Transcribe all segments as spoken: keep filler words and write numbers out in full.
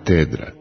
Katedra.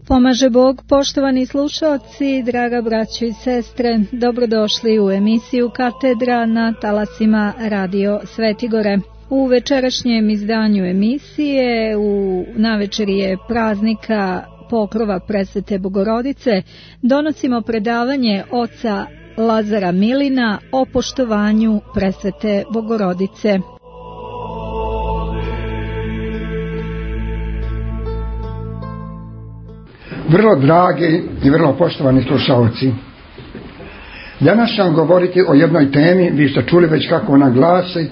Pomaže Bog, poštovani slušalci, draga braćo i sestre, dobrodošli u emisiju Katedra na talasima Radio Svetigore. U večerašnjem izdanju emisije, u navečerije praznika Pokrova Presvete Bogorodice, donosimo predavanje oca Lazara Milina o poštovanju Presvete Bogorodice. Vrlo dragi i vrlo poštovani slušalci, danas ću vam govoriti o jednoj temi, vi ste čuli već kako ona glasi,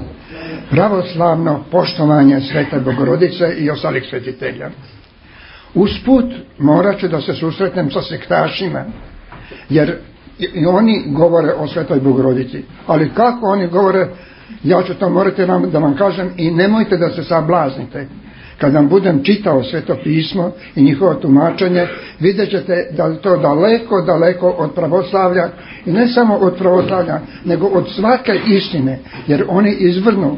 pravoslavno poštovanje Svete Bogorodice i ostalih svetitelja. Usput morat ću da se susretnem sa sektašima, jer i oni govore o Svetoj Bogorodici, ali kako oni govore, ja ću to morati vam, da vam kažem, i nemojte da se sablaznite. Kad vam budem čitao Sveto pismo i njihovo tumačenje, vidjet ćete da je to daleko, daleko od pravoslavlja, i ne samo od pravoslavlja, nego od svake istine, jer oni izvrnu,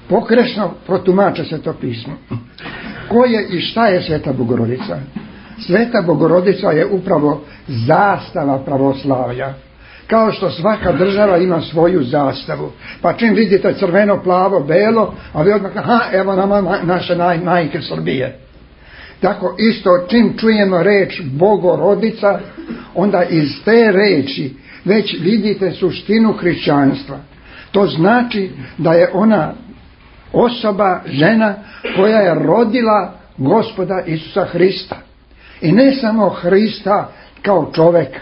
pogrešno protumače Sveto pismo. Ko je i šta je Sveta Bogorodica? Sveta Bogorodica je upravo zastava pravoslavlja. Kao što svaka država ima svoju zastavu. Pa čim vidite crveno, plavo, belo, a vi odmah, aha, evo nama naše naj, majke Srbije. Tako isto, čim čujemo reč Bogorodica, onda iz te reči već vidite suštinu hrišćanstva. To znači da je ona osoba, žena koja je rodila Gospoda Isusa Hrista. I ne samo Hrista kao čoveka,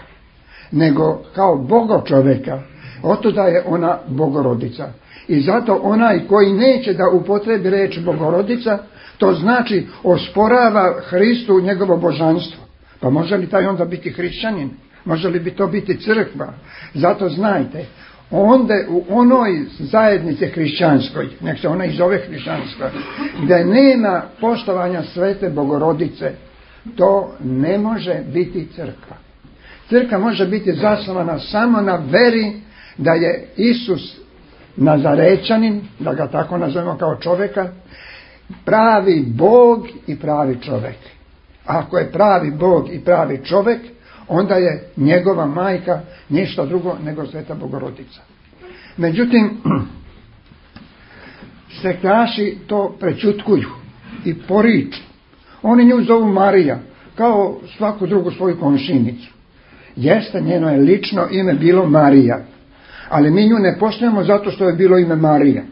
nego kao Boga čoveka. Otuda je ona Bogorodica. I zato onaj koji neće da upotrebi reč Bogorodica, to znači osporava Hristu njegovo božanstvo. Pa može li taj onda biti hrišćanin? Može li bi to biti crkva? Zato znajte, onda u onoj zajednici hrišćanskoj, nek se ona i zove hrišćanska, gdje nema poštovanja Svete Bogorodice, to ne može biti crkva. Crkva može biti zasnovana samo na veri da je Isus Nazarećanin, da ga tako nazovemo kao čovjeka, pravi Bog i pravi čovjek. Ako je pravi Bog i pravi čovjek, onda je njegova majka ništa drugo nego Sveta Bogorodica. Međutim, sektaši to prečutkuju i poriču. Oni nju zovu Marija, kao svaku drugu svoju komšinicu. Jeste, njeno je lično ime bilo Marija, ali mi nju ne poštujemo zato što je bilo ime Marija,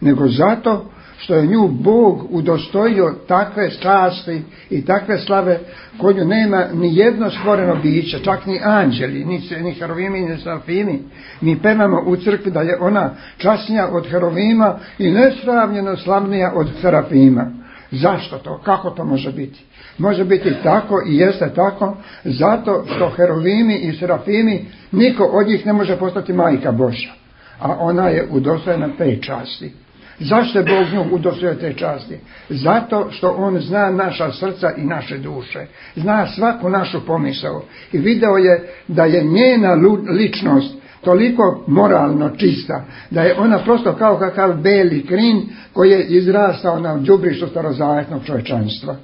nego zato što je nju Bog udostojio takve časti i takve slave koju nema ni jedno stvoreno biće, čak ni anđeli, ni, ni herovimi, ni serafimi. Mi pevamo u crkvi da je ona časnija od herovima i nesravnjeno slavnija od serafima. Zašto to? Kako to može biti? Može biti tako i jeste tako zato što herovimi i serafimi niko od njih ne može postati majka Božja, a ona je udostojena te časti. Zašto je Bog nju udostojio te časti? Zato što on zna naša srca i naše duše, zna svaku našu pomisao i video je da je njena ličnost toliko moralno čista, da je ona prosto kao kakav beli krin koji je izrastao na đubrištu starozavetnog čovječanstva.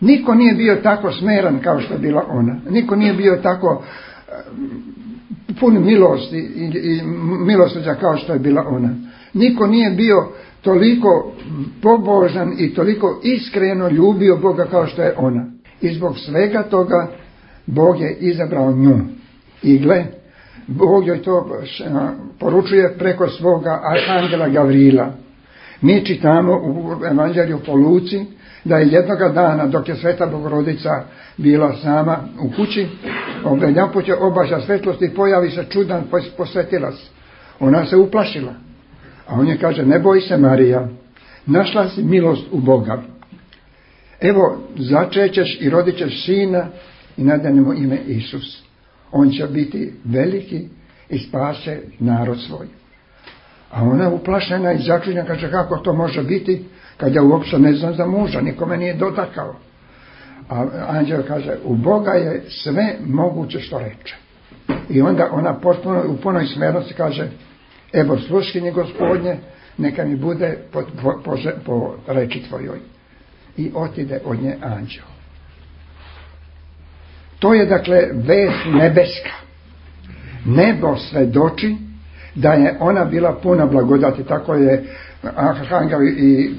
Niko nije bio tako smeran kao što je bila ona. Niko nije bio tako pun milosti i, i milosrđa kao što je bila ona. Niko nije bio toliko pobožan i toliko iskreno ljubio Boga kao što je ona. I zbog svega toga Bog je izabrao nju. I gle, Bog joj to poručuje preko svoga arhangela Gavrila. Mi čitamo u Evanđelju po Luci da je jednoga dana dok je Sveta Bogorodica bila sama u kući, jedanput je obaža svetlosti i pojavi se čudan posvetilac. Ona se uplašila. A on je kaže, ne boj se Marija, našla si milost u Boga. Evo, začećeš i rodit ćeš sina i nadanemo ime Isus. On će biti veliki i spase narod svoj. A ona uplašena i začuđena, kaže, kako to može biti kad ja uopće ne znam za muža, nikome nije dotakao. A anđel kaže, u Boga je sve moguće što reče. I onda ona potpuno, u punoj smernosti kaže, evo sluškinje Gospodnje, neka mi bude po, po, po, po reči tvojoj. I otide od nje anđel. To je dakle vest nebeska. Nebo svedoči da je ona bila puna blagodati. Tako je arhangel i,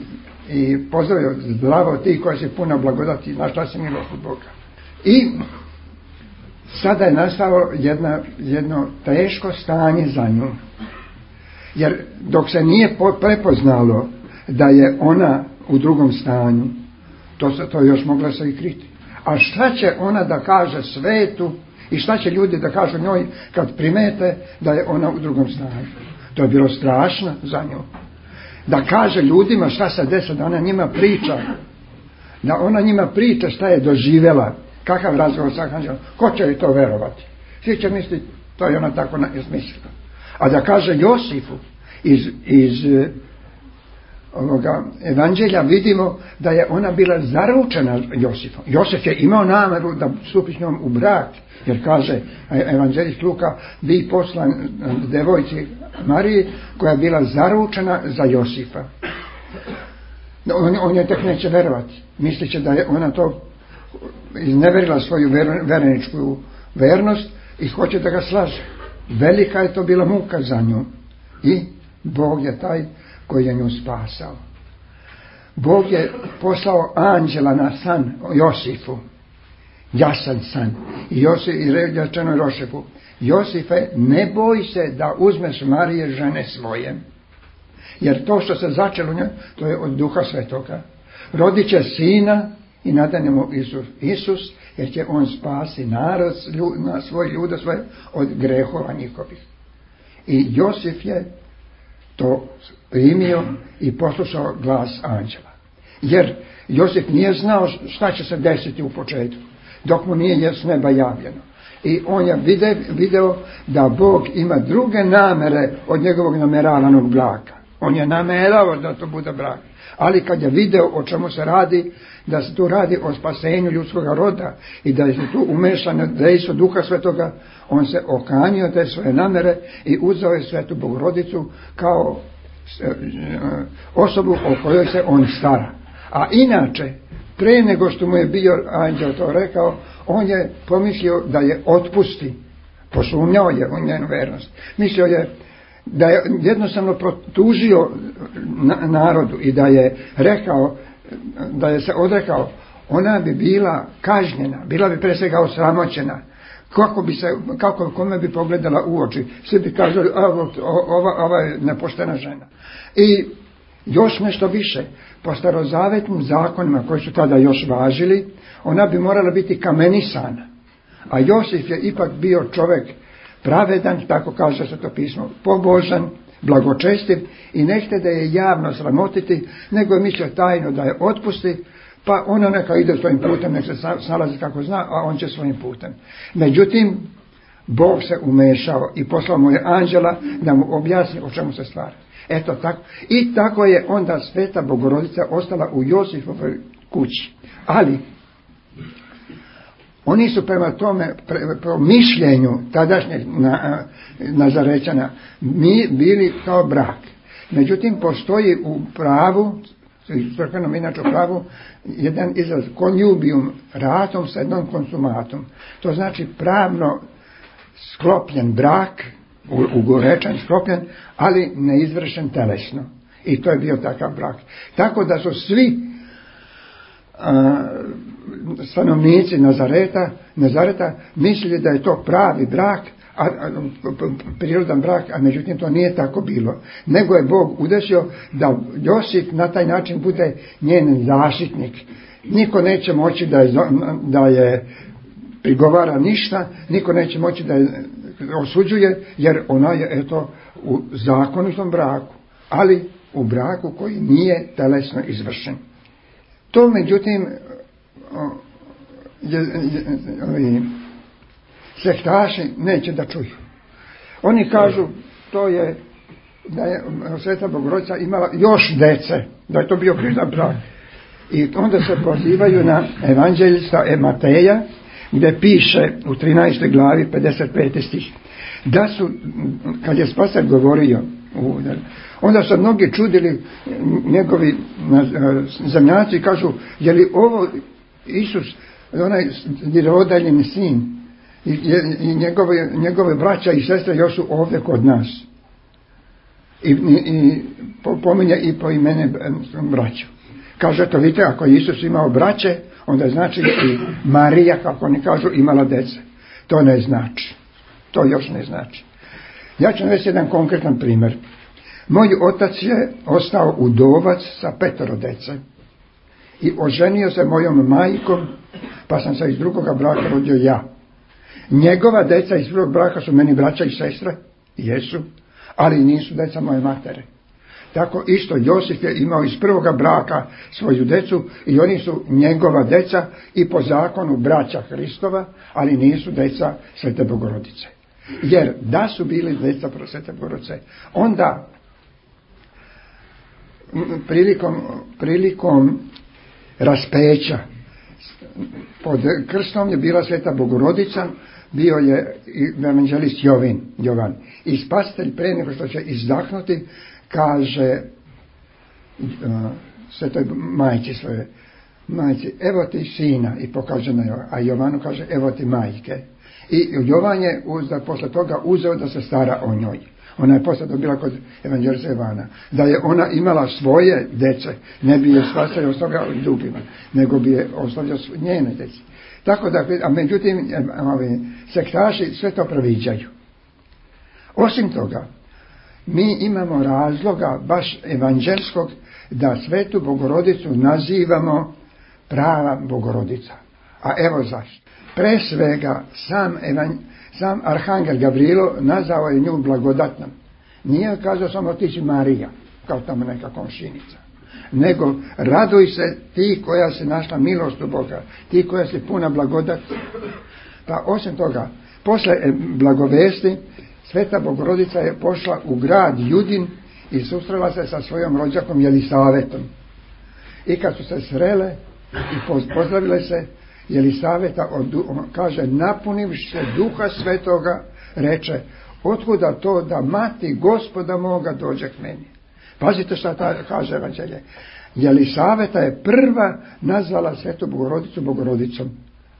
i pozdravio, zdravo ti koja si puna blagodati, našla si milost od Boga. I sada je nastalo jedna, jedno teško stanje za nju. Jer dok se nije prepoznalo da je ona u drugom stanju, to se to još mogla se i kriti. A šta će ona da kaže svetu i šta će ljudi da kažu njoj kad primete da je ona u drugom stanju? To je bilo strašno za nju. Da kaže ljudima šta se desi, da ona njima priča. Da ona njima priča šta je doživjela, kakav razgovor sa anđelom. Ko će joj to verovati? Svi će misliti, to je ona tako izmislila. A da kaže Josifu iz, iz ovoga evanđelja vidimo da je ona bila zaručena Josifom. Josif je imao nameru da stupi s njom u brak, jer kaže evanđelist Luka, bi poslan devojci Mariji koja je bila zaručena za Josifa. On, on je tek neće verovati. Misliće da je ona to izneverila svoju ver, vereničku vernost i hoće da ga slaže. Velika je to bila muka za nju. I Bog je taj koji je nju spasao. Bog je poslao anđela na san Josifu. Jasan san. I Josif i rečeno Josifu, Josife, ne boj se da uzmeš Marije žene svoje. Jer to što se začelo njoj, to je od Duha Svetoga. Rodit će sina i nadanemo Isus. Isus, jer će on spasi narod, na svoj ljude svoje od grehova njihovih. I Josif je to primio i poslušao glas anđela. Jer Josif nije znao šta će se desiti u početku, dok mu nije s neba javljeno. I on je video, video da Bog ima druge namere od njegovog nameravanog braka. On je namerao da to bude brak. Ali kad je video o čemu se radi, da se tu radi o spasenju ljudskog roda i da je tu umešano dejstvo Duha Svetoga, on se okanio te svoje namere i uzeo je Svetu Bogorodicu kao osobu o kojoj se on stara. A inače, pre nego što mu je bio anđel to rekao, on je pomislio da je otpusti. Posumnjao je u njenu vernost. Mislio je da je jednostavno protužio narodu i da je rekao, da je se odrekao, ona bi bila kažnjena, bila bi pre svega osramoćena. Kako bi se, kako, kome bi pogledala u oči, svi bi kazali, ova, ova je nepoštena žena. I Još nešto više, po starozavetnim zakonima koji su tada još važili, ona bi morala biti kamenisana. A Josif je ipak bio čovjek pravedan, tako kaže se to pismo, pobožan, blagočestiv i nešte da je javno sramotiti, nego je mislio tajno da je otpusti, pa ona neka ide svojim putem, nek se snalazi kako zna, a on će svojim putem. Međutim, Bog se umešao i poslao mu je anđela da mu objasni o čemu se stvari. Eto tako. I tako je onda Sveta Bogorodica ostala u Josifovoj kući. Ali oni su prema tome, prema mišljenju tadašnjeg na, Nazarećana, mi bili kao brak. Međutim, postoji u pravu, crkvenom inače u pravu, jedan izraz conjubium ratum sa jednom konsumatum. To znači pravno sklopljen brak, ugorečan, sklopljen, ali neizvršen telesno. I to je bio takav brak. Tako da su svi a, stanovnici Nazareta, Nazareta mislili da je to pravi brak, a, a, prirodan brak, a međutim to nije tako bilo. Nego je Bog udesio da Josip na taj način bude njen zaštitnik. Niko neće moći da je, da je prigovara ništa, niko neće moći da je osuđuje, jer ona je eto u zakonitom braku, ali u braku koji nije telesno izvršen. To međutim je, je, je, sektaši neće da čuju. Oni kažu to je da je Sveta Bogorodica imala još dece, da je to bio prirodan brak. I onda se pozivaju na evanđelista Mateja, gdje piše u trinaestoj glavi pedeset peti stih da su, kad je Spasitelj govorio, onda su mnogi čudili, njegovi zemljaci kažu, je li ovo Isus, onaj nirodaljeni sin i, i njegove, njegove braća i sestre još su ovdje kod nas. I, i, i pominje i po imene braću. Kaže to, vidite, ako je Isus imao braće, onda znači i Marija, kako oni kažu, imala dece. To ne znači. To još ne znači. Ja ću navesti jedan konkretan primjer. Moj otac je ostao udovac sa petoro dece i oženio se mojom majkom, pa sam se iz drugoga braka rodio ja. Njegova deca iz drugog braka su meni braća i sestre, jesu, ali nisu deca moje matere. Tako isto Josif je imao iz prvoga braka svoju decu i oni su njegova deca i po zakonu braća Hristova, ali nisu deca Svete Bogorodice. Jer da su bili deca Svete Bogorodice, onda prilikom, prilikom raspeća pod krstom je bila Sveta Bogorodica, bio je evanđelist Jovin, Jovan. I Spasitelj pre nego što će izdahnuti kaže uh, Svetoj majci svoje, majci, evo ti sina, i pokaže na Jovan, a Jovanu kaže evo ti majke. I Jovan je uzda, posle toga uzeo da se stara o njoj. Ona je posle dobila kod evanđelista Jovana. Da je ona imala svoje dece, ne bi je Spasitelj ostavljao drugima, nego bi je ostavljao njene dece. Tako da, a međutim, sektaši sve to previđaju. Osim toga, mi imamo razloga baš evanđelskog da Svetu Bogorodicu nazivamo prava Bogorodica. A evo zašto. Pre svega sam, evan, sam Arhangel Gavrilo nazvao je nju blagodatnom. Nije kazao samo ti si Marija, kao tamo neka komšinica. Nego raduj se ti koja se našla milost u Boga, ti koja se puna blagodat. Pa osim toga, posle blagovesti, Sveta Bogorodica je pošla u grad Judin i susrela se sa svojom rođakom Jelisavetom. I kad su se srele i pozdravile se, Jelisaveta kaže, napunivši se Duha Svetoga, reče, otkuda to da mati Gospoda moga dođe k meni. Pazite šta ta, kaže evanđelje. Jelisaveta je prva nazvala Svetu Bogorodicu Bogorodicom,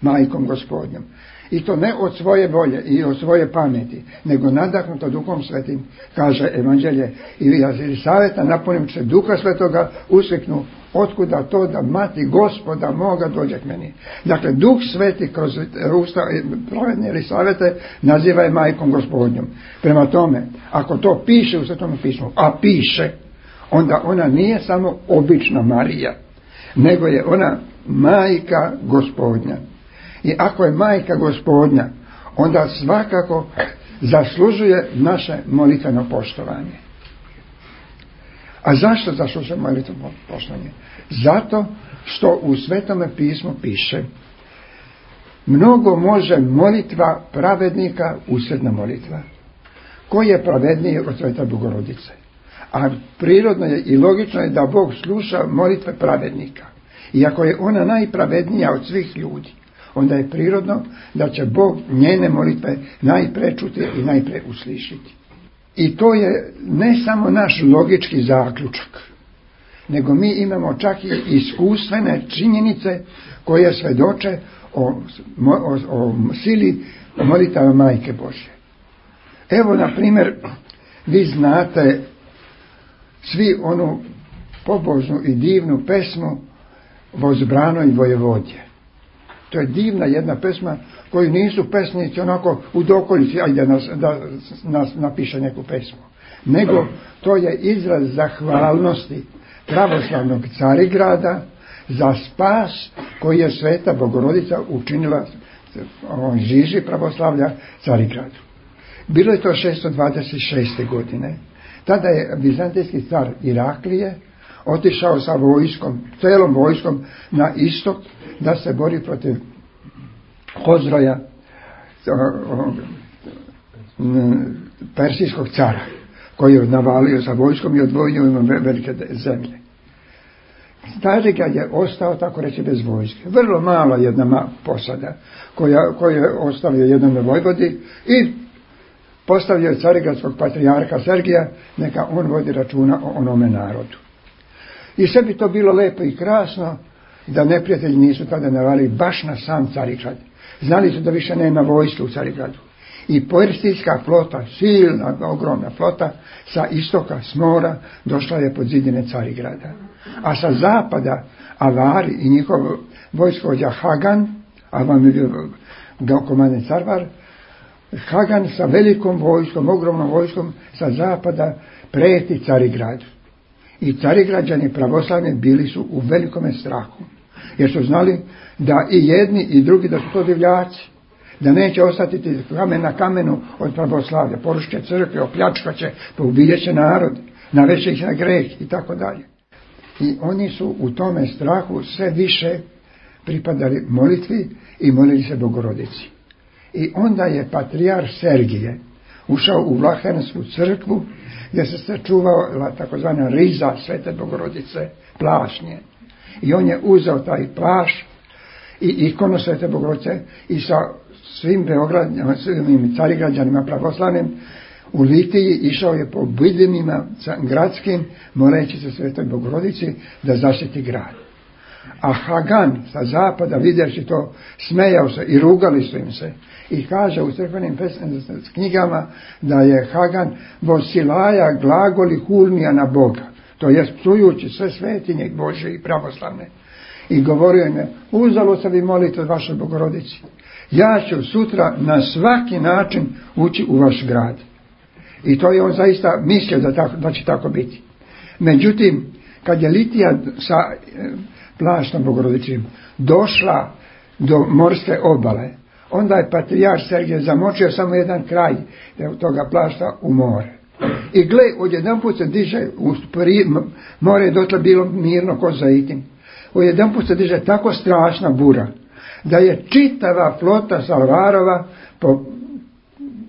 majkom Gospodnjom. I to ne od svoje volje i od svoje pameti, nego nadahnuto Duhom Svetim, kaže evanđelje. I Jelisaveta napunim se Duha Svetoga, uskliknu, otkuda to da mati Gospoda moga dođe k meni. Dakle, Duh Sveti kroz usta pravedne Jelisavete naziva je majkom Gospodnjom. Prema tome, ako to piše u Svetom pismu, a piše, onda ona nije samo obična Marija, nego je ona majka Gospodnja. I ako je majka Gospodnja, onda svakako zaslužuje naše molitveno poštovanje. A zašto zaslužuje molitveno poštovanje? Zato što u Svetome pismu piše: mnogo može molitva pravednika usredna molitva. Ko je pravedniji od Svete Bogorodice? A prirodno je i logično je da Bog sluša molitve pravednika. I ako je ona najpravednija od svih ljudi, onda je prirodno da će Bog njene molitve najpre čuti i najpre uslišiti. I to je ne samo naš logički zaključak, nego mi imamo čak i iskustvene činjenice koje svedoče o, o, o sili molitava Majke Božje. Evo, na primjer, vi znate svi onu pobožnu i divnu pesmu Vozbrano i Vojevodje. To je divna jedna pesma koju nisu pesnici onako u dokolici, ajde nas, da nas napiše neku pesmu. Nego to je izraz zahvalnosti pravoslavnog Carigrada za spas koji je Sveta Bogorodica učinila on žiži pravoslavlja Carigradu. Bilo je to šesto dvadeset šeste. godine. Tada je vizantijski car Iraklije otišao sa vojskom, celom vojskom na istok da se bori protiv Hozroja, persijskog cara, koji je navalio sa vojskom i odvojio ima velike zemlje. Carigrad je ostao, tako reći, bez vojske. Vrlo malo jedna posada koja, koja je ostavio jednome vojvodi i postavio je carigradskog patrijarha Sergija, neka on vodi računa o onome narodu. I sve bi to bilo lepo i krasno da neprijatelji nisu tada navali baš na sam Carigrad. Znali su da više nema vojske u Carigradu. I persijska flota, silna, ogromna flota, sa istoka, s mora, došla je pod zidine Carigrada. A sa zapada Avari i njihov vojskovođa Hagan, a vam je bio komandant Carvar, Hagan sa velikom vojskom, ogromnom vojskom sa zapada preti Carigradu. I Carigrađani pravoslavni bili su u velikome strahu, jer su znali da i jedni i drugi da su to divljaci, da neće ostati kamen na kamenu od pravoslavlja, porušit će crkve, opljačkat će, poubijet će narod, navešće ih na greh i tako dalje. I oni su u tome strahu sve više pripadali molitvi i molili se Bogorodici. I onda je patrijarh Sergije ušao u Vlahensku crkvu gdje se sačuvala takozvana riza Svete Bogorodice, plašnje. I on je uzeo taj plašt i ikonu Svete Bogorodice i sa svim Beogradnjama, svim Carigrađanima pravoslavnim u litiji išao je po bidinima gradskim, moleći se Svetoj Bogorodici da zaštiti grad. A Hagan sa zapada, vidjevši to, smejao se i rugali su im se. I kaže u crkvenim knjigama da je Hagan vosilaja glagoli hulnija na Boga, to jest psujući sve svetinje Božje i pravoslavne. I govorio im je: uzalo se vi molite od vašoj Bogorodici, ja ću sutra na svaki način ući u vaš grad. I to je on zaista mislio da, tako, da će tako biti. Međutim, kad je litija sa plaštom Bogorodičim došla do morske obale, onda je patrijarh Sergije zamočio samo jedan kraj toga plašta u more. I gle, odjedanput se diže, more je dotle bilo mirno ko Zaitin, odjedanput se diže tako strašna bura, da je čitava flota Salvarova po,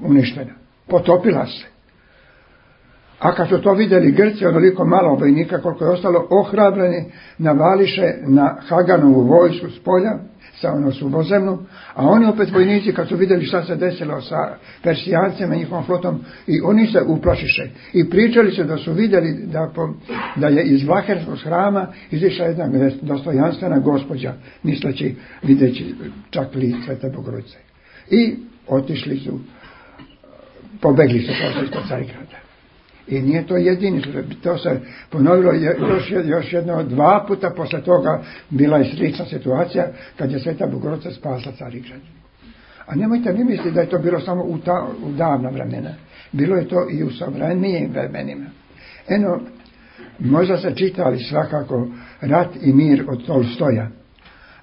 uništena, potopila se. A kad su to vidjeli Grci, onoliko malo vojnika koliko je ostalo, ohrabreni, navališe na Haganovu vojsku s polja, sa ono suvozemnu, a oni opet vojnici kad su vidjeli šta se desilo sa Persijancima i njihovom flotom, i oni se uplašiše. I pričali se da su vidjeli da, po, da je iz Vlaherskog hrama izišla jedna dostojanstvena gospođa, misleći, videći čak lice Svete Bogorodice. I otišli su, pobegli su posle ispod Carigrada. I nije to jedini, to se ponovilo još, još jedno dva puta posle toga. Bila je slična situacija kad je Sveta Bogorodica spasla Carigrad. A nemojte mi misliti da je to bilo samo u, ta, u davna vremena. Bilo je to i u savremenijim vremenima. Eno, Možda ste čitali svakako Rat i mir od Tolstoja,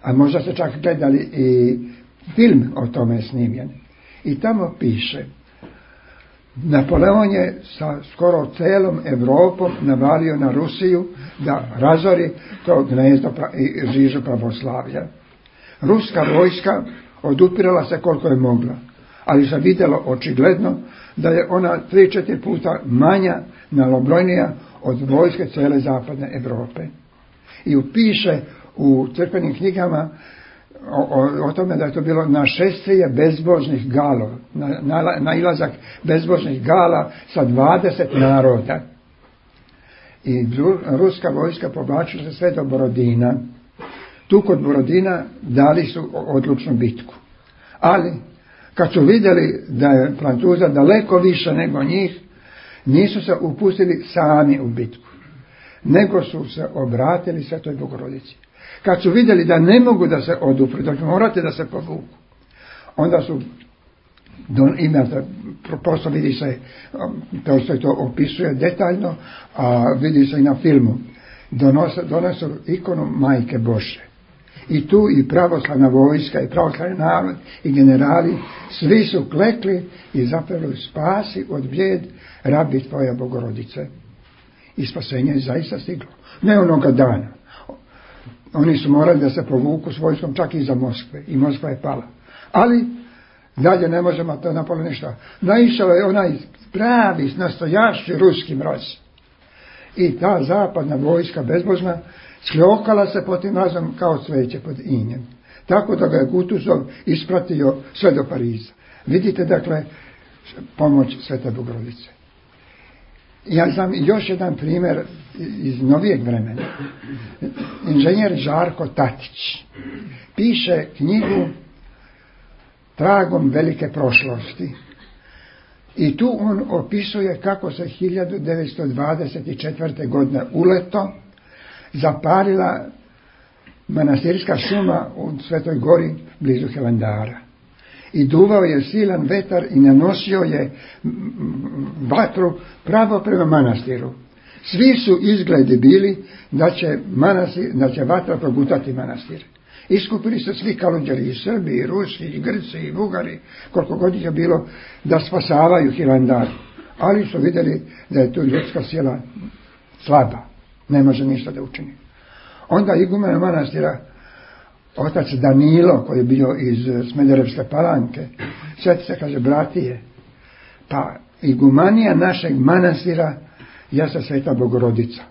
a možda ste čak gledali i film o tome snimljen. I tamo piše, Napoleon je sa skoro celom Evropom navalio na Rusiju da razori to gnezdo i žižu pravoslavlja. Ruska vojska odupirala se koliko je mogla, ali se vidjelo očigledno da je ona tri četiri puta manja, malobrojnija od vojske cele zapadne Europe. I upiše u crkvenim knjigama o, o, o tome da je to bilo našествие bezbožnih galova, na, na, nailazak bezbožnih gala sa dvadeset naroda. I ruska vojska povlačila se sve do Borodina. Tu kod Borodina dali su odlučnu bitku. Ali, kad su vidjeli da je Francuza daleko više nego njih, nisu se upustili sami u bitku, nego su se obratili Svetoj Bogorodici. Kad su vidjeli da ne mogu da se odupru, da morate da se povuku, onda su, imate, prosto vidi se, to što to opisuje detaljno, a vidi se i na filmu, donose, donesu ikonu Majke Bože. I tu i pravoslavna vojska, i pravoslavni narod, i generali, svi su klekli i zapevali spasi od bijed rabi tvoja Bogorodice. I spasenje je zaista stiglo. Ne onoga dana. Oni su morali da se povuku s vojskom čak i za Moskve. I Moskva je pala. Ali dalje ne možemo to napraviti ništa. Naišao je onaj pravi, nastojašći ruski mraz. I ta zapadna vojska bezbožna skljokala se pod tim mrazom kao cveće pod injem. Tako da ga je Kutuzov ispratio sve do Pariza. Vidite, dakle, pomoć Svete Bogorodice. Ja znam još jedan primjer iz novijeg vremena. Inženjer Žarko Tatić piše knjigu Tragom velike prošlosti. I tu on opisuje kako se hiljadu devetsto dvadeset četvrte. godine uleto zapalila manastirska šuma u Svetoj Gori blizu Hilandara. I duvao je silan vetar i nanosio je vatru pravo prema manastiru. Svi su izgledi bili da će, manastir, da će vatra progutati manastir. Iskupili se svi kaludjeli, i Srbi, i Rusi, i Grci, i Bugari, koliko god je bilo, da spasavaju Hilandar. Ali su vidjeli da je tu ljudska sila slaba, ne može ništa da učini. Onda igumen manastira, otac Danilo, koji je bio iz Smederevske Palanke, sjeti se, kaže, bratije, pa igumanija našeg manastira jeste Sveta Bogorodica.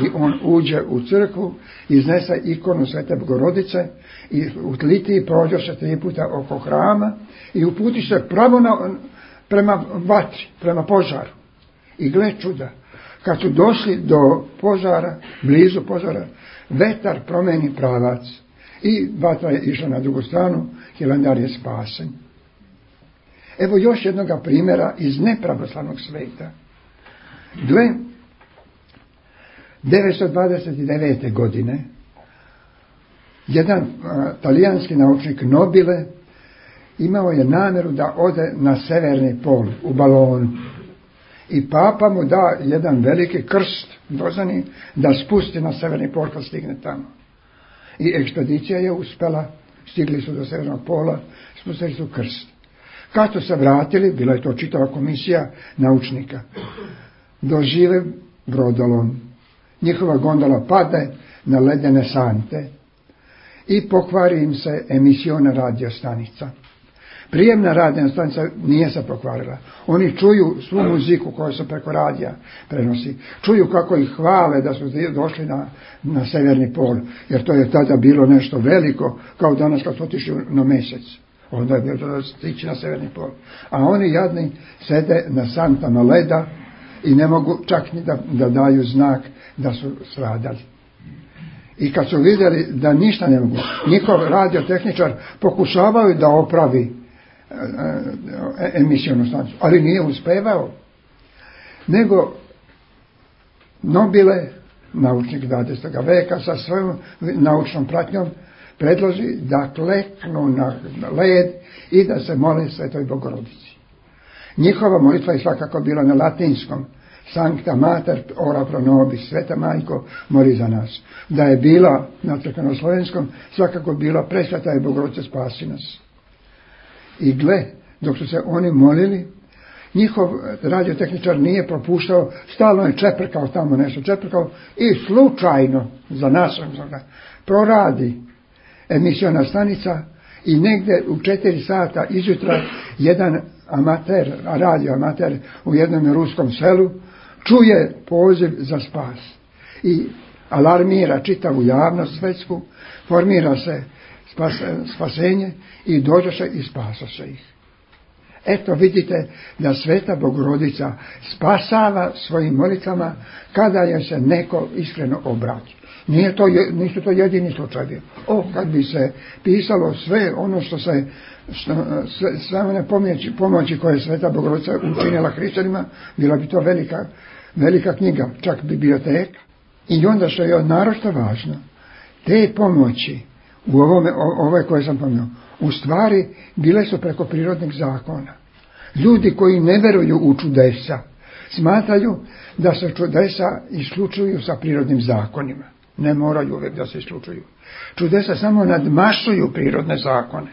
I on uđe u crkvu, iznese ikonu Svete Bogorodice i u litiji prođe se tri puta oko hrama i uputi se pravo na, prema vatri, prema požaru. I gle čuda, kad su došli do požara, blizu požara, vetar promeni pravac i vatra je išla na drugu stranu, Hilandar je spasen. Evo još jednoga primjera iz nepravoslavnog sveta. Gle, devetsto dvadeset devete. godine jedan a, talijanski naučnik Nobile imao je namjeru da ode na severni pol u balonu i papa mu da jedan veliki krst dozani da spusti na severni pol kad stigne tamo. I ekspedicija je uspjela, stigli su do severnog pola, spustili su krst. Kad su se vratili, bila je to čitava komisija naučnika, dožive brodolom. Njihova gondola pade na ledene sante i pokvari im se emisiona radio stanica. Prijemna radio stanica nije se pokvarila. Oni čuju svu muziku koju se preko radija prenosi. Čuju kako ih hvale da su došli na, na severni pol, jer to je tada bilo nešto veliko, kao danas kad su otišli na mjesec. Onda je bilo da stići na severni pol. A oni jadni sede na santama leda i ne mogu čak ni da, da daju znak da su stradali. I kad su vidjeli da ništa ne mogu, njihov radiotehničar pokušavaju da opravi e, emisijonu stanicu, ali nije uspevao. Nego Nobile, naučnik dvadesetog veka, sa svojom naučnom pratnjom predloži da kleknu na led i da se mole Svetoj Bogorodici. Njihova molitva je svakako bila na latinskom. Sancta Mater ora pro nobis, Sveta majko, moli za nas. Da je bila na crkvenoslovenskom, svakako bila presveta je Bogorodice spasi nas. I gle, dok su se oni molili, njihov radiotehničar nije propuštao, stalno je čeprkao tamo nešto, čeprkao i slučajno za nas proradi emisiona stanica i negdje u četiri sata izjutra jedan amater, radio amater u jednom ruskom selu čuje poziv za spas i alarmira čitavu javnost svetsku, formira se spas, spasenje i dođoše i spasoše ih. Eto vidite da Sveta Bogorodica spasava svojim molitvama kada je se neko iskreno obrati. Nije to, nisu to jedini slučajevi. O, kad bi se pisalo sve ono što se, što, sve, sve one pomoći, pomoći koje je Sveta Bogorodica učinila hrišćanima, bila bi to velika, velika knjiga, čak biblioteka. I onda što je naročito važno, te pomoći u ovome, ove koje sam pomenuo, u stvari bile su preko prirodnih zakona. Ljudi koji ne veruju u čudesa smatraju da se čudesa isključuju sa prirodnim zakonima. Ne moraju uvijek da se isključuju. Čudesa samo nadmašuju prirodne zakone.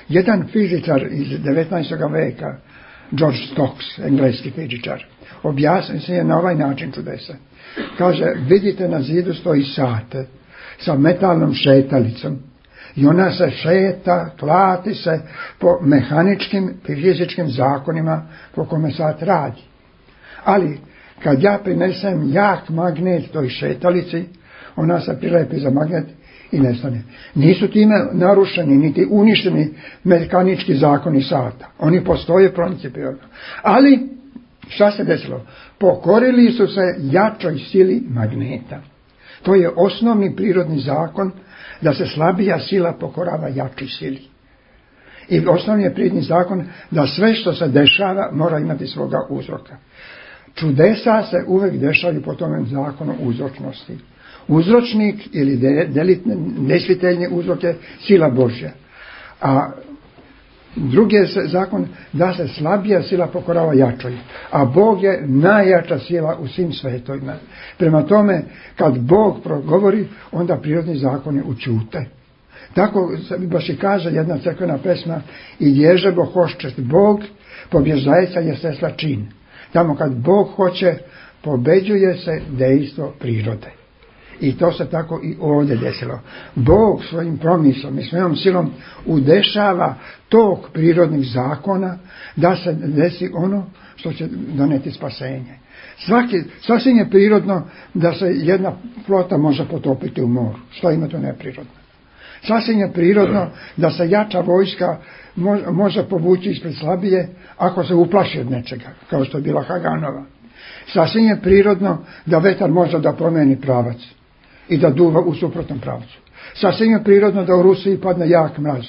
Jedan fizičar iz devetnaestog veka, George Stokes, engleski fizičar, objasni se je na ovaj način čudesa. Kaže, vidite na zidu stoji sat sa metalnom šetalicom i ona se šeta, klati se po mehaničkim i fizičkim zakonima po kome sat radi. Ali kad ja prinesem jak magnet toj šetalici, ona se prilepi za magnet i nestane. Nisu time narušeni niti uništeni mehanički zakoni sata. Oni postoje principijelno. Ali šta se desilo? Pokorili su se jačoj sili magneta. To je osnovni prirodni zakon da se slabija sila pokorava jačoj sili. I osnovni je prirodni zakon da sve što se dešava mora imati svoga uzroka. Čudesa se uvijek dešavaju po tome zakonu uzročnosti. Uzročnik ili delitni, nesviteljni uzrok je sila Božja. A drugi je zakon da se slabija sila pokorava jačoj. A Bog je najjača sila u svim svetovima. Prema tome, kad Bog progovori, onda prirodni zakoni učute. Tako baš i kaže jedna crkvena pesma, i dježebo hoščest Bog, pobježdajca je sesla čin. Tamo kad Bog hoće, pobeđuje se dejstvo prirode. I to se tako i ovdje desilo. Bog svojim promislom i svojom silom udešava tok prirodnih zakona da se desi ono što će doneti spasenje. Svaki, sasvim je prirodno da se jedna flota može potopiti u moru. Što ima to neprirodno? Sasvim je prirodno da se jača vojska može povući ispred slabije ako se uplaši od nečega, kao što je bila Haganova. Sasvim je prirodno da vetar može da promijeni pravac i da duva u suprotnom pravcu. Sasvim je prirodno da u Rusiji padne jak mraz.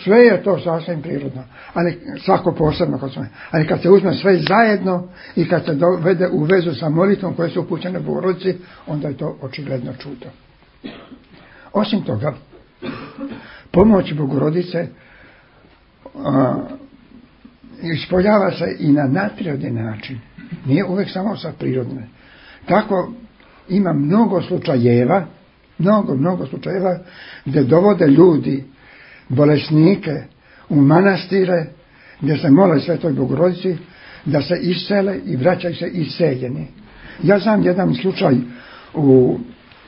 Sve je to sasvim prirodno, ali svako posebno kod svoje. Ali kad se uzme sve zajedno i kad se dovede u vezu sa molitvom koje su upućene Bogorodici, onda je to očigledno čudo. Osim toga, pomoć Bogorodice a, ispoljava se i na nadprirodni način. Nije uvijek samo sa prirodne. Tako ima mnogo slučajeva, mnogo, mnogo slučajeva gdje dovode ljudi, bolesnike, u manastire, gdje se mole Svetoj Bogorodici, da se isele i vraćaju se iseljeni. Ja znam jedan slučaj u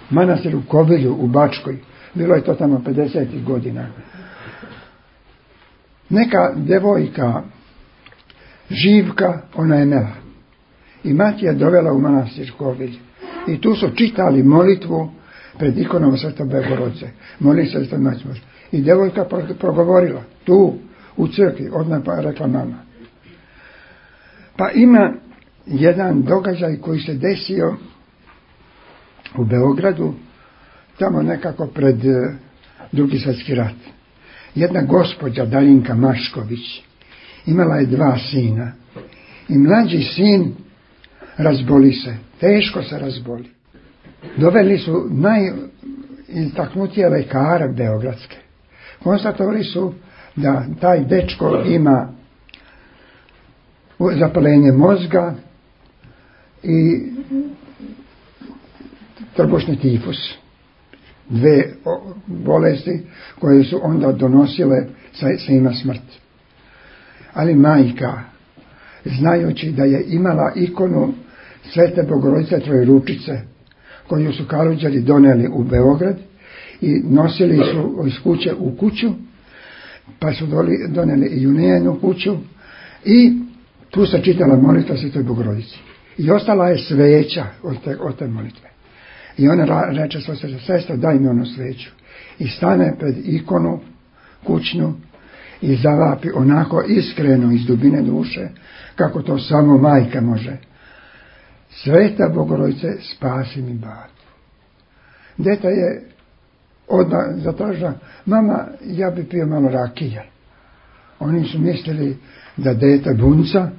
manastiru Kobilju u Bačkoj. Bilo je to tamo pedesetih godina. Neka devojka, Živka, ona je mela. I mati je dovela u manastir Kobilj. I tu su čitali molitvu pred ikonom Svete Bogorodice. Moli se Svete Majke Božje. I devojka progovorila tu u crkvi, odmah pa rekla mama. Pa ima jedan događaj koji se desio u Beogradu, tamo nekako pred Drugi svjetski rat. Jedna gospođa Darinka Mašković imala je dva sina i mlađi sin razboli se, teško se razboli. Doveli su najistaknutije lekare beogradske. Konstatovali su da taj dečko ima zapaljenje mozga i trbušni tifus. Dve bolesti koje su onda donosile svima smrt. Ali majka, znajući da je imala ikonu Svete Bogorodice Trojeručice, koju su Kalođeri doneli u Beograd i nosili su iz kuće u kuću, pa su doneli i u njenu kuću i tu se čitala molitva Svetoj Bogorodici. I ostala je sveća od te, od te molitve. I ona reče svoj sestra, daj mi onu sveću. I stane pred ikonu kućnu i zavapi onako iskreno iz dubine duše, kako to samo majka može. Sveta Bogorodice, spasi mi batu. Deta je odmah zatražila, mama, ja bi pio malo rakije. Oni su mislili da dete bunca,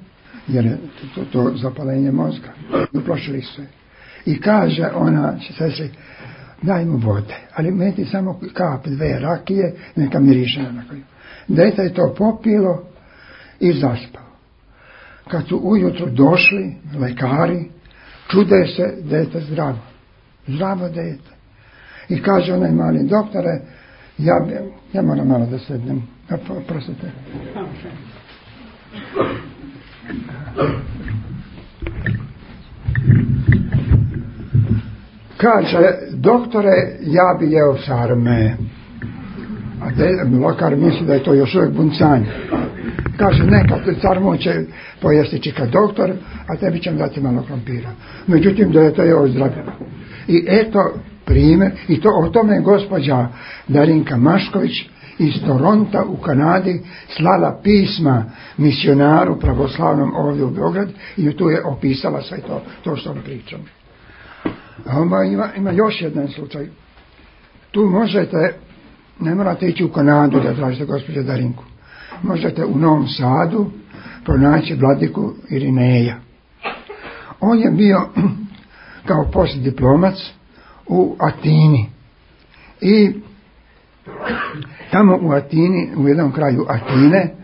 jer je to, to zapalenje mozga. Uplašili su je. I kaže ona sestri, daj mu vode, ali meti samo kap dve rakije, neka miriše na koju. Dete je to popilo i zaspao. Kad su ujutro došli lekari, čude se, dete zdravo. Zdravo dete. I kaže onaj mali doktore, ja, ja moram malo da sednem. Prosite. Kaže, doktore, ja bi jeo sarme. A de, lokar misli da je to još uvijek buncanje. Kaže, neka sarmu će pojesti čika doktor, a tebi ćem dati malo krompira. Međutim, da je to je ozdravljeno. I eto primjer, i to o tome je gospođa Darinka Mašković iz Toronta u Kanadi slala pisma misionaru pravoslavnom ovdje u Beograd i tu je opisala sve to, to što vam pričam. A onda ima, ima još jedan slučaj. Tu možete, ne morate ići u Kanadu da tražite gospođu Darinku. Možete u Novom Sadu pronaći vladiku Irineja. On je bio kao postdiplomac u Atini. I tamo u Atini, u jednom kraju Atine,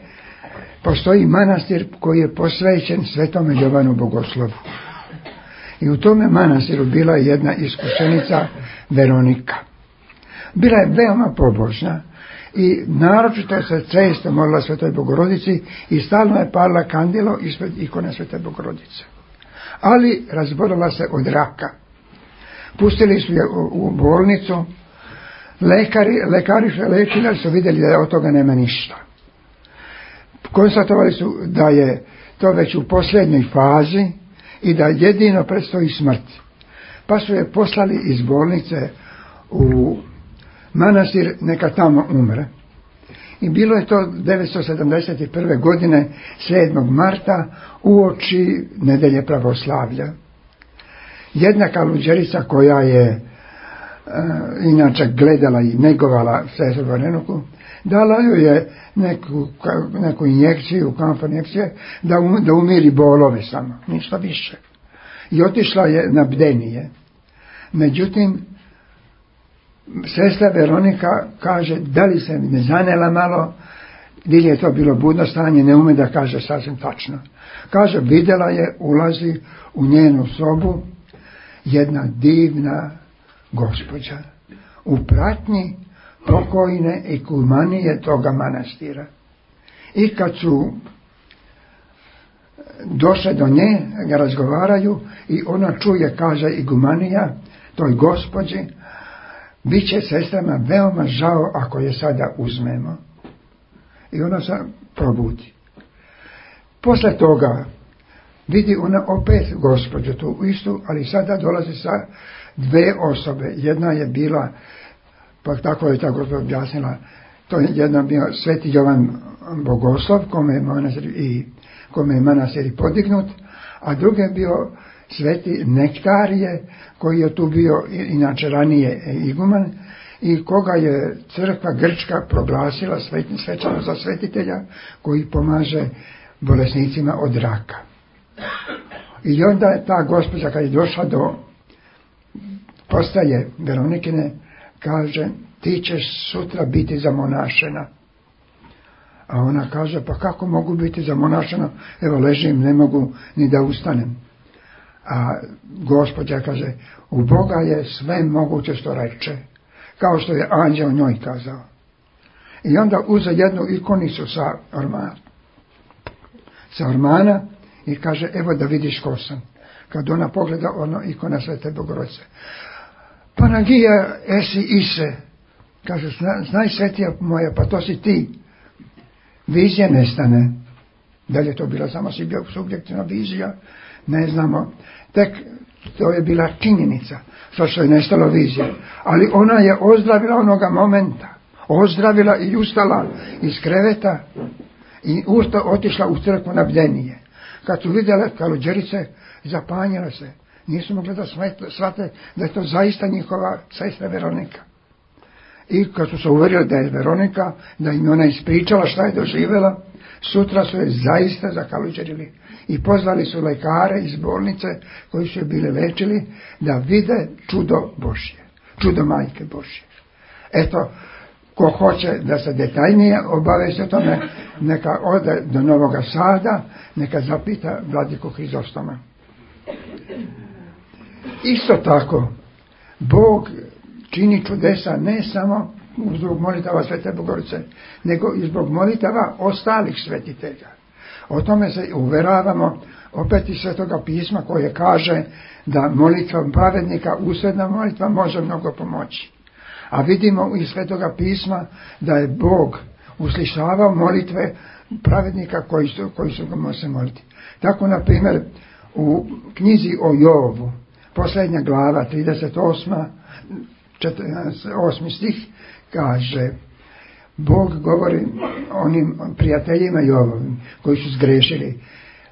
postoji manastir koji je posvećen Svetome Jovanu Bogoslovu. I u tome manastiru bila je jedna iskušenica Veronika. Bila je veoma pobožna i naročito se često molila Svetoj Bogorodici i stalno je palila kandilo ispred ikone Svete Bogorodice. Ali razbolila se od raka. Pustili su je u, u bolnicu. Lekari, lekari su je lečili, ali su vidjeli da od toga nema ništa. Konstatovali su da je to već u posljednjoj fazi i da jedino predstoji smrt. Pa su je poslali iz bolnice u manastir, neka tamo umre. I bilo je to devetsto sedamdeset prve godine, sedmog marta, uoči nedelje pravoslavlja. Jedna kaluđerica koja je e, inače gledala i negovala sestru Varenoku, dala joj je neku, neku injekciju, kamp injekcije, da, um, da umiri bolove samo, ništa više. I otišla je na bdenije. Međutim, sestra Veronika kaže, da li se ne zanela malo, ili je to bilo budno stanje, ne ume da kaže sasvim tačno. Kaže, vidjela je, ulazi u njenu sobu jedna divna gospođa u pratnji pokojne ikumanije toga manastira. I kad su došle do nje, ga razgovaraju i ona čuje, kaže igumanija toj gospođi, bit će sestrama veoma žao ako je sada uzmemo. I ona se probudi. Posle toga vidi ona opet gospođu tu istu, ali sada dolazi sa dve osobe. Jedna je bila, pa tako je ta gospođa objasnila, to je jedna bio Sveti Jovan Bogoslov, kome je manastir i, kome je manastir i podignut, a drugi je bio Sveti Nektarije, koji je tu bio inače ranije iguman i koga je crkva grčka proglasila svečano za svetitelja koji pomaže bolesnicima od raka. I onda je ta gospođa kad je došla do postaje Veronikine, kaže, ti ćeš sutra biti zamonašena. A ona kaže, pa kako mogu biti zamonašena? Evo ležim, ne mogu ni da ustanem. A Gospođa kaže, u Boga je sve moguće što reče, kao što je anđeo njoj kazao. I onda uze jednu ikonicu sa ormana, sa ormana i kaže, evo da vidiš ko sam. Kad ona pogleda, ono ikona Svete Bogorodice. Panagija esi ise. Kaže, znaj svetija moja, pa to si ti. Vizija nestane. Da li je to bila samo subjektivna vizija? Ne znamo. Tek to je bila činjenica. Što što je nestalo vizija. Ali ona je ozdravila onoga momenta. Ozdravila i ustala iz kreveta i usta otišla u crkvu na bdenije. Kad su vidjela kaluđerice, zapanjila se. Nisu mogli da shvate da je to zaista njihova sestra Veronika. I kad su se uvjerili da je Veronika, da im ona ispričala šta je doživjela, sutra su je zaista zakaluđerili. I pozvali su lekare iz bolnice koji su je bili lečili da vide čudo Božje. Čudo Majke Božje. Eto, ko hoće da se detaljnije obavesti o tome, neka ode do Novoga Sada, neka zapita vladiku Hrizostoma. Isto tako, Bog čini čudesa ne samo zbog molitava Svete Bogorodice, nego i zbog molitava ostalih svetitelja. O tome se uveravamo opet iz Svetoga pisma koje kaže da molitva pravednika, usredna molitva, može mnogo pomoći. A vidimo iz Svetoga pisma da je Bog uslišavao molitve pravednika koji su, koji su ga može moliti. Tako, na primjer, u knjizi o Jovu, posljednja glava, trideset osmi stih, kaže, Bog govori onim prijateljima Jovovim koji su zgrešili,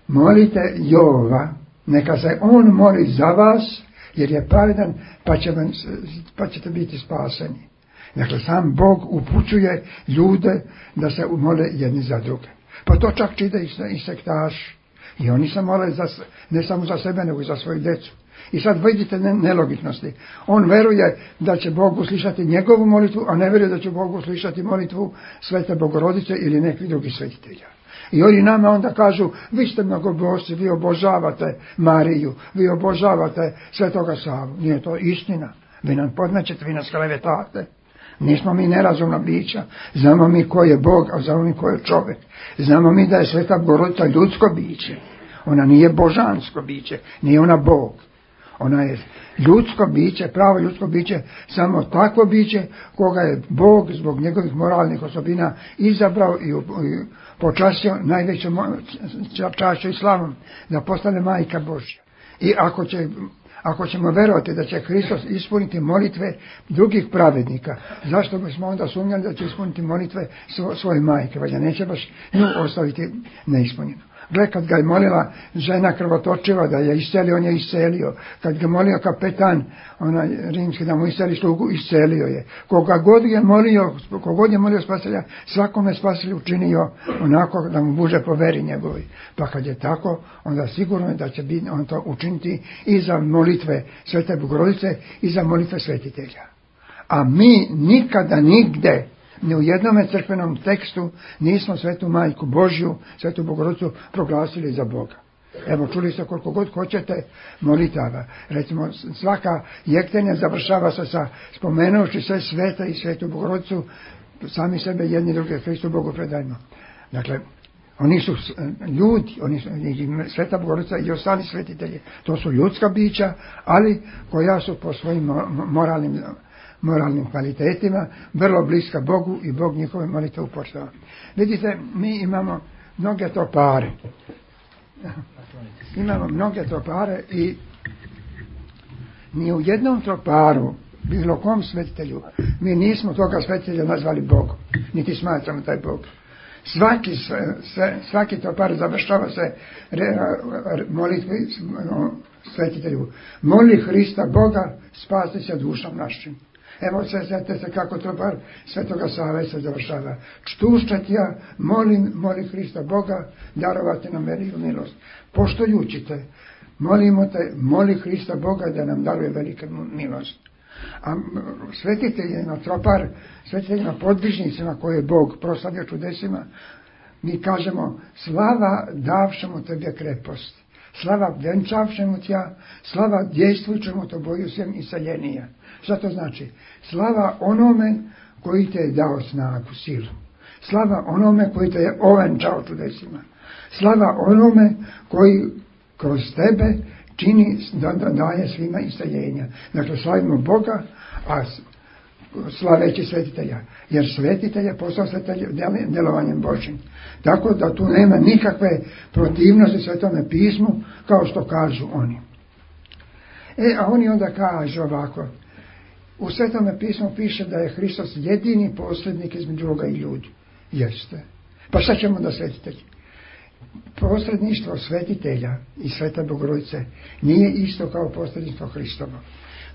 molite Jova, neka se on moli za vas, jer je pravedan, pa, će vam, pa ćete biti spaseni. Dakle, sam Bog upućuje ljude da se mole jedni za druge. Pa to čak čide i sektaši. I oni se mole za, ne samo za sebe, nego i za svoju djecu. I sad vidite nelogičnosti. On veruje da će Bog uslišati njegovu molitvu, a ne veruje da će Bog uslišati molitvu Svete Bogorodice ili nekih drugih svetitelja. I oni nama onda kažu, vi ste mnogobožci, vi obožavate Mariju, vi obožavate Svetoga Savu. Nije to istina. Vi nam podmećete, vi nas klevetate. Nismo mi nerazumna bića. Znamo mi ko je Bog, a znamo mi ko je čovjek. Znamo mi da je Sveta Bogorodica ljudsko biće. Ona nije božansko biće, nije ona Bog. Ona je ljudsko biće, pravo ljudsko biće, samo takvo biće koga je Bog zbog njegovih moralnih osobina izabrao i, i počastio najvećom čašću i slavom da postane majka Božja. I ako će Ako ćemo verovati da će Hristos ispuniti molitve drugih pravednika, zašto bismo onda sumnjali da će ispuniti molitve svoje majke, valjda neće baš nju ostaviti neispunjeno. Gle, kad ga je molila žena krvotočiva da je iscelio, on je iscelio. Kad ga je molio kapetan, onaj rimski, da mu isceli slugu, iscelio je. Koga god je molio, kogod je molio Spasitelja, svakome Spasitelj učinio onako da mu bude po veri njegovi. Pa kad je tako, onda sigurno je da će biti, on to učiniti i za molitve Svete Bogorodice i za molitve svetitelja. A mi nikada nigde, ni u jednom crkvenom tekstu nismo Svetu Majku Božju, Svetu Bogorodicu proglasili za Boga. Evo, čuli ste koliko god hoćete molitava. Recimo, svaka jektenja završava se sa spomenući sve svete i Svetu Bogorodicu, sami sebe jedni druge Hristu Bogu predajmo. Dakle, oni su ljudi, oni su, Sveta Bogorodica i ostali svetitelji, to su ljudska bića, ali koja su po svojim moralnim moralnim kvalitetima, vrlo bliska Bogu i Bog njihove molitve upoštava. Vidite, mi imamo mnoge tropare. Imamo mnoge tropare i ni u jednom troparu, bilo kom svetitelju, mi nismo toga svetitelja nazvali Bogom, niti smatramo taj Bog. Svaki, sve, svaki tropar završava se molitvi svetitelju. Moli Hrista Boga, spasti se dušom našim. Evo se, znate se kako tropar Svetoga Save se završava. Čtušćat ja, molim, moli Hrista Boga, darovati nam veliku milost. Poštujući te, molimo te, moli Hrista Boga da nam daruje veliku milost. A svetiteljima tropar, svetiteljima podvižnicima koje je Bog proslavio čudesima, mi kažemo, slava davšemo tebe krepost. slava venčavšemu tja, slava djejstvujućemu to boju svem iseljenija. Šta to znači? Slava onome koji te je dao snagu, silu. Slava onome koji te je ovenčao čudesima. Slava onome koji kroz tebe čini, da, da daje svima iseljenja. Dakle, slavimo Boga, a slaveći svetitelja. Jer svetitelj je postao svetitelj djelovanjem Božim. Tako da tu nema nikakve protivnosti Svetome pismu, kao što kažu oni. E, a oni onda kažu ovako. U Svetome pismu piše da je Hristos jedini posrednik između Boga i ljudi. Jeste. Pa šta ćemo da svetitelji? Posredništvo svetitelja i Svete Bogorodice nije isto kao posredništvo Hristovo.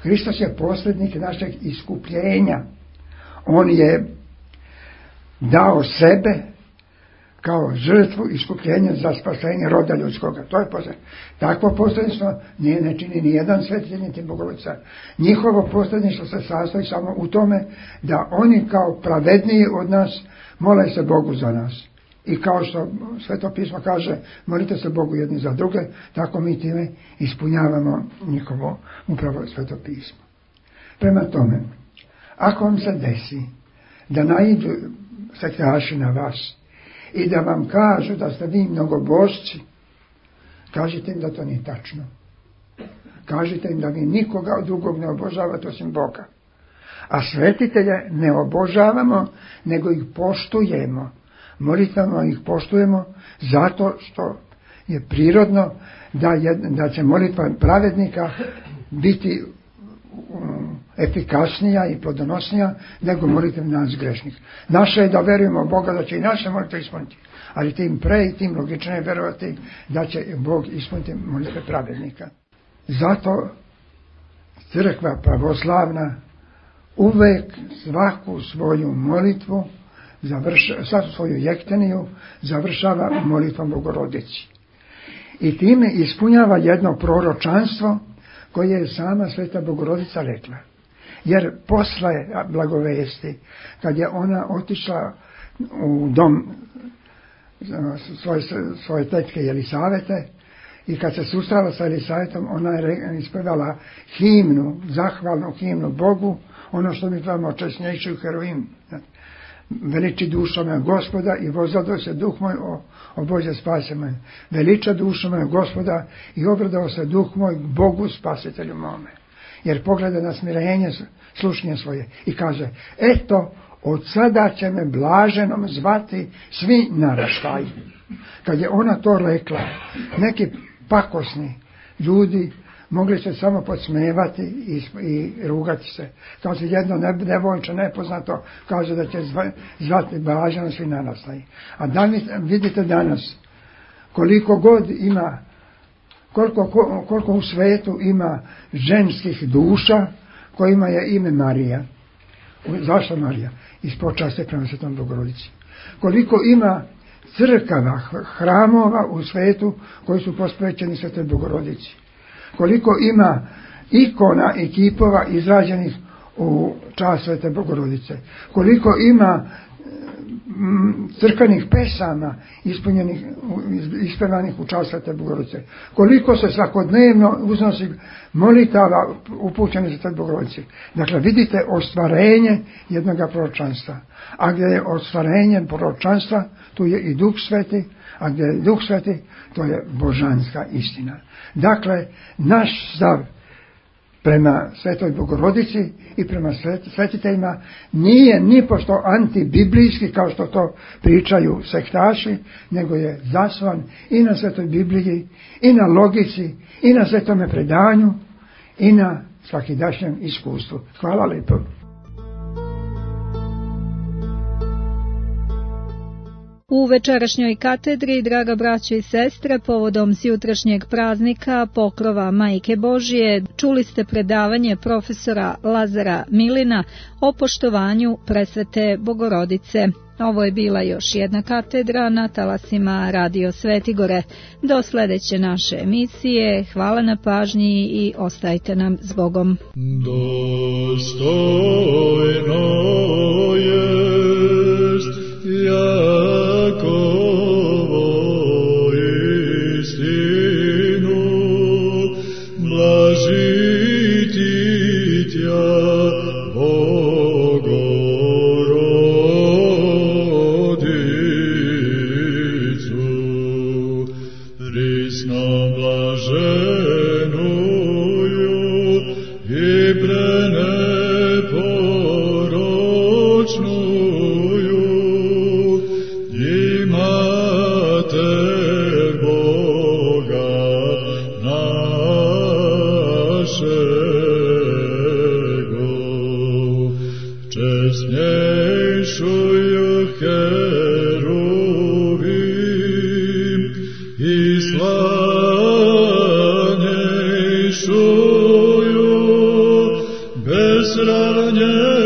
Hristos je posrednik našeg iskupljenja. On je dao sebe kao žrtvu iskupljenja za spasenje roda ljudskoga. To je posredništvo. Takvo posredništvo nije ne čini ni jedan svetitelj niti Bogorodica. Njihovo posredništvo se sastoji samo u tome da oni kao pravedniji od nas mole se Bogu za nas. I kao što Sveto pismo kaže, molite se Bogu jedni za druge, tako mi time ispunjavamo njihovo upravo Sveto pismo. Prema tome, ako vam se desi da naiđu sektaši na vas i da vam kažu da ste vi mnogobožci, kažite im da to nije tačno. Kažite im da vi nikoga drugog ne obožavate osim Boga. A svetitelje ne obožavamo, nego ih poštujemo. Molitvama ih poštujemo zato što je prirodno da, je, da će molitva pravednika biti um, efikasnija i plodonosnija nego molitva nas grešnih. Naše je da verujemo u Boga da će i naše molitve ispuniti, ali tim pre i tim logičnije verovati da će Bog ispuniti molitve pravednika. Zato crkva pravoslavna uvek svaku svoju molitvu završava, svaku svoju jekteniju završava molitvom Bogorodici. I time ispunjava jedno proročanstvo koje je sama Sveta Bogorodica rekla. Jer posle blagovesti, kad je ona otišla u dom svoje, svoje tetke Jelisavete i kad se susrela sa Elisavetom, ona je ispevala himnu, zahvalnu himnu Bogu, ono što mi tvamo česnejši u heroim. Veliči dušo me Gospoda i vozadao se duh moj, o, o Bože spase me. Veliča dušo me Gospoda i obradao se duh moj Bogu spasitelju mome. Jer pogleda na smirenje slušnje svoje i kaže, eto, od sada će me blaženom zvati svi naraštaji. Kad je ona to rekla, neki pakosni ljudi mogli se samo podsmevati i, i rugati se. Kao se jedno devojče nepoznato kaže da će zvati blaženo svi naraštaji. A danas, vidite danas koliko god ima, koliko, koliko u svetu ima ženskih duša kojima je ime Marija. Zašto Marija? Iz počasti prema Svetom Bogorodici. Koliko ima crkava, hramova u svetu koji su posvećeni Svetoj Bogorodici. Koliko ima ikona i kipova izrađenih u čast Svete Bogorodice. Koliko ima crkvenih pesama ispunjenih, ispevanih u čast Svete Bogorodice. Koliko se svakodnevno uznosi molitava upućenih Svete Bogorodice. Dakle, vidite ostvarenje jednog proročanstva. A gdje je ostvarenje proročanstva, tu je i Duh Sveti, a gdje je Duh Sveti, to je božanska istina. Dakle, naš stav prema Svetoj Bogorodici i prema svetiteljima nije nipošto antibiblijski kao što to pričaju sektaši, nego je zasnovan i na Svetoj Bibliji, i na logici, i na svetome predanju, i na svakidašnjem iskustvu. Hvala lijepo. U večerašnjoj katedri, draga braćo i sestre, povodom sjutrašnjeg praznika Pokrova Majke Božije, čuli ste predavanje profesora Lazara Milina o poštovanju presvete Bogorodice. Ovo je bila još jedna katedra na talasima Radio Svetigore. Do sljedeće naše emisije, hvala na pažnji i ostajte nam s Bogom. Dostojno jest Jakovo istinu Česnejšuju heruvim i slavnejšuju bez ravnjenja